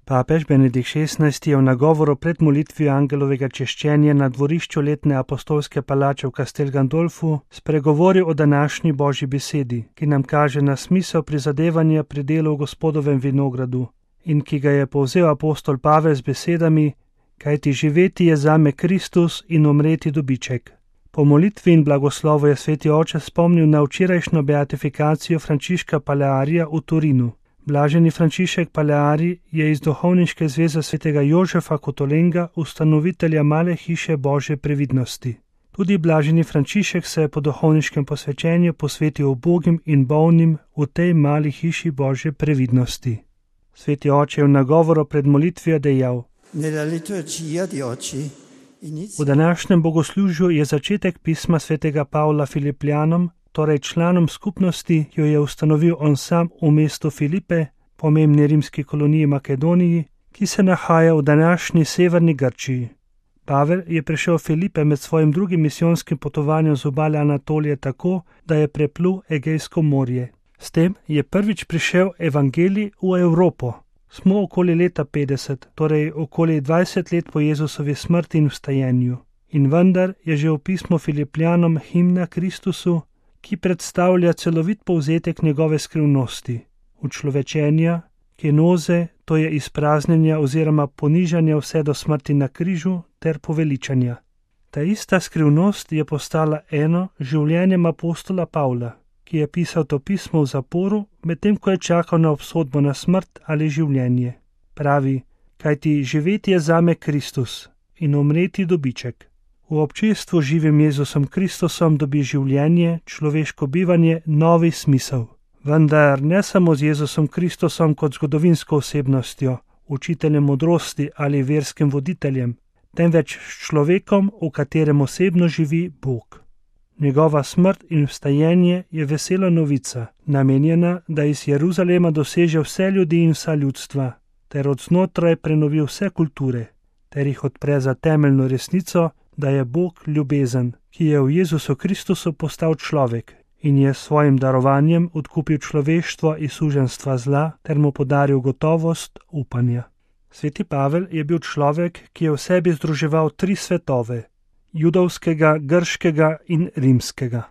Papež Benedikt XVI je v nagovoru pred molitvijo angelovega češčenja na dvorišču letne apostolske palače v Castel Gandolfu spregovoril o današnji Božji besedi, ki nam kaže na smisel prizadevanja pri delu v Gospodovem vinogradu in ki ga je povzel apostol Pavel z besedami: kajti živeti je zame Kristus in umreti dobiček. Po molitvi in blagoslovu je sveti oče spomnil na včerajšnjo beatifikacijo Frančiška Palearija v Torinu. Blaženi Frančišek Paleari je iz Duhovniške zveze svetega Jožefa Kotolenga ustanovitelja male hiše Božje previdnosti. Tudi blaženi Frančišek se je po duhovniškem posvečenju posvetil ubogim in bolnim v tej mali hiši Božje previdnosti. Sveti oče je v nagovoru pred molitvijo dejal: v današnjem bogoslužju je začetek pisma svetega Pavla Filipljanom, torej članom skupnosti, ki jo je ustanovil on sam v mestu Filipe, pomembni rimski koloniji Makedoniji, ki se nahaja v današnji severni Grčiji. Pavel je prišel Filipe med svojim drugim misijonskim potovanjem z obale Anatolije tako, da je preplul Egejsko morje. S tem je prvič prišel evangelij v Evropo. Smo okoli leta 50, torej okoli 20 let po Jezusovi smrti in vstajenju. In vendar je že v pismu Filipljanom himna Kristusu, ki predstavlja celovit povzetek njegove skrivnosti, učlovečenja, kenoze, to je izpraznjenja oziroma ponižanja vse do smrti na križu ter poveličanja. Ta ista skrivnost je postala eno življenjem apostola Pavla, ki je pisal to pismo v zaporu, medtem ko je čakal na obsodbo na smrt ali življenje. Pravi: kajti živeti je zame Kristus in umreti dobiček. V občestvu živim Jezusom Kristusom dobi življenje, človeško bivanje, novi smisel. Vendar ne samo z Jezusom Kristusom kot zgodovinsko osebnostjo, učiteljem modrosti ali verskim voditeljem, temveč s človekom, v katerem osebno živi Bog. Njegova smrt in vstajenje je vesela novica, namenjena, da iz Jeruzalema doseže vse ljudi in vsa ljudstva, ter od znotraj prenovi vse kulture, ter jih odpre za temeljno resnico, da je Bog ljubezen, ki je v Jezusu Kristusu postal človek in je s svojim darovanjem odkupil človeštvo iz suženjstva zla ter mu podaril gotovost upanja. Sveti Pavel je bil človek, ki je v sebi združeval 3 svetove: judovskega, grškega in rimskega.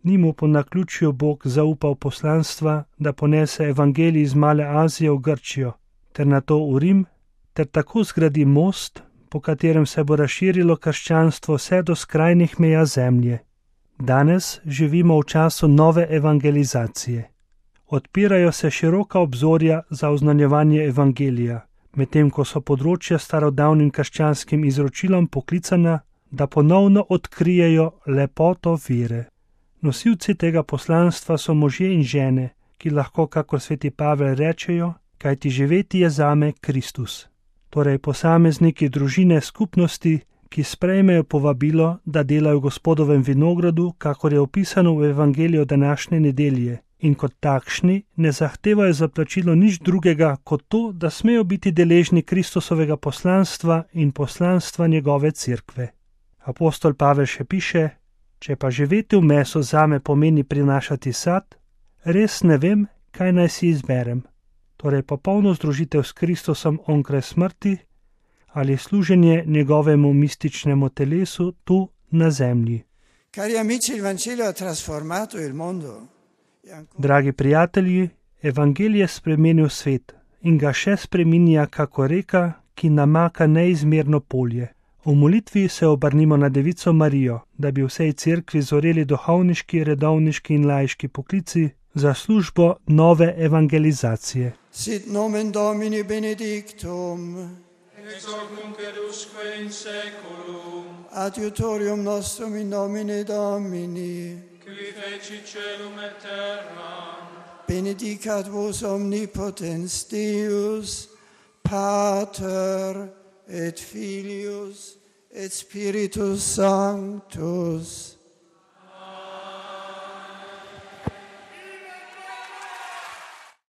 Ni mu po naključju Bog zaupal poslanstva, da ponese evangelij iz Male Azije v Grčijo, ter nato v Rim, ter tako zgradi most, po katerem se bo razširilo krščanstvo vse do skrajnih meja zemlje. Danes živimo v času nove evangelizacije. Odpirajo se široka obzorja za oznanjevanje evangelija, medtem ko so področja starodavnim krščanskim izročilom poklicana, da ponovno odkrijejo lepoto vere. Nosilci tega poslanstva so možje in žene, ki lahko, kakor sveti Pavel, rečejo: kajti živeti je zame Kristus. Torej posamezniki, družine, skupnosti, ki sprejmejo povabilo, da delajo v Gospodovem vinogradu, kakor je opisano v evangeliju današnje nedelje, in kot takšni ne zahtevajo za plačilo nič drugega kot to, da smejo biti deležni Kristusovega poslanstva in poslanstva njegove cerkve. Apostol Pavel še piše: če pa živeti v mesu zame pomeni prinašati sad, res ne vem, kaj naj si izberem. Torej popolno združitev s Kristusom onkraj smrti ali služenje njegovemu mističnemu telesu tu na zemlji. Dragi prijatelji, evangelij je spremenil svet in ga še spreminja kako reka, ki namaka neizmerno polje. V molitvi se obrnimo na Devico Marijo, da bi vsej cerkvi zoreli duhovniški, redovniški in laiški poklici za službo nove evangelizacije. Sit nomen Domini benedictum, ex hoc nunc et usque in saeculum, adiutorium nostrum in nomine Domini, qui feci celum et terram, benedicat vos omnipotens Deus, Pater et Filius et Spiritus Sanctus.